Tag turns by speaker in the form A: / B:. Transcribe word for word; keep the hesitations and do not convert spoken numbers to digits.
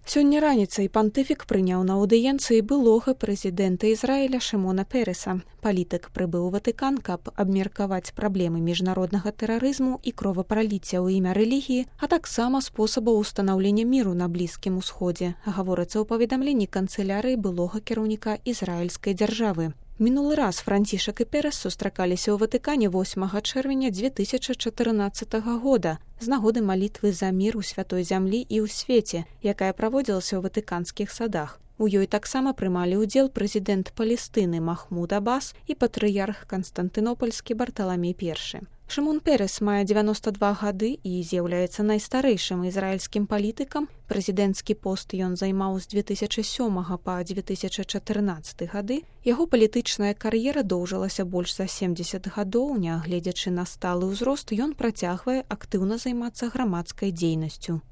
A: Сёння раніцай пантыфік прыняў на аўдыенцыі былога прэзідэнта Ізраіля Шымона Переса. Палітык прыбыў у Ватыкан, каб абмеркаваць праблемы міжнароднага тэрарызму і кровапраліцця ў імя рэлігіі, а таксама спосабаў устанаўлення міру на Блізкім усходзе, гаворыцца ў паведамленні канцылярыі былога кіраўніка ізраільскай дзяржавы. Мінулы раз Францішак і Перес сустракаліся ў Ватыкане восьмага чэрвеня дзве тысячы чатырнаццатага года з нагоды малітвы за мір у святой зямлі і ў свеце, якая праводзілася ў ватыканскіх садах. У ёй таксама прымалі ўдзел прэзідэнт Палестыны Махмуд Аббас і патрыярх канстантынопальскі Барталамей першы. Шымон Перес мае дзевяноста два гады і з'яўляецца найстарэйшым ізраільскім палітыкам. Прэзідэнцкі пост ён займаў з дзве тысячы сёмага па дзве тысячы чатырнаццаты гады. Яго палітычная кар'ера доўжылася больш за семдзесят гадоў, нягледзячы на сталы ўзрост, ён працягвае актыўна займацца грамадскай дзейнасцю.